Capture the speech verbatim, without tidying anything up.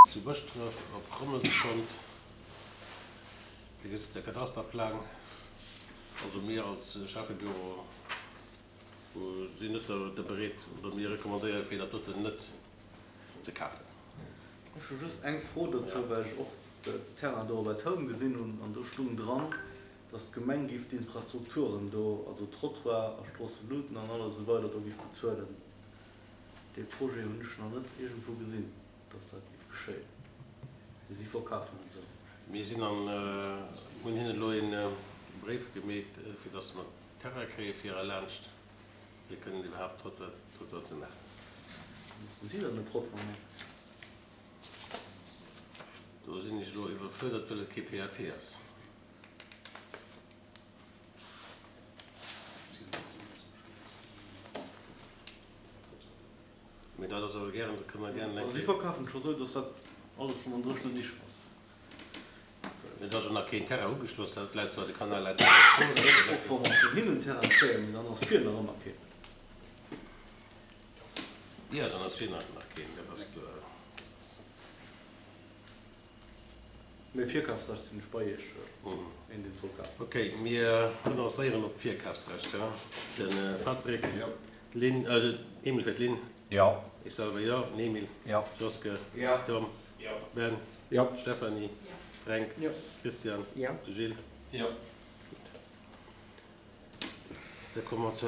Zu Bëschdref op Rommelskont. Dir gesitt de Kadasterplang. Also mir als Schäffebüro sinn net de bereet oder mir recommandéiere fir dat doten net ze kafen. Ech hu just eng Fro dozou, well ech och de Terrain do op der Toun gesinn hunn an do stung dran, dass d'Gemeng giff d'Infrastrukturen do, also Trottoir a Stroosseluuten an alles esou weider do giff bezuelen. Dee Projet hunn ech nach net iergendwou gesinn, dass dat giff geschéien. Mee si verkafen et esou. Mir sinn an hunn hinnen elo ee Bréif gemeet, fir dass mer Terrain kréie fir erlaanscht fir kënnen iwwerhaapt Trottoir, Trottoir ze maachen. Mussen si dann den Trottoir maachen? Do sinn ech elo iwwerfuerdert, well et kee PAP ass. Mee dat ass awer gären, dat kënne mer gären eng Also si Kéier. verkafen et scho sou, dass dat alles schonn an dréchenen Dicher ass. Et ass jo nach keen Terrain ugeschloss, dat läit zwar, de Kanal läit zwar an der Strooss. Och wa mer vun hinnen Terrain kréien, mee dann ass vir nach ëmmer keen. Jo, dann ass vir nach ëmmer keen, dat ass kloer. Mee Virkafsrecht sinn ech bei Iech, een deen soll kafen. Ok, mir renoncéieren op d'Virkafsrecht, jo. De Patrick, d'Lynn, Emil fir d'Lynn. Jo. Ech selwer jo, den Emil. Jo. Joske. Jo. Tom. Jo. Ben. Jo. Stéphanie. Jo. Fränk. Jo. Christian. Jo. De Gilles. Jo. Gutt. Da komme mer zur.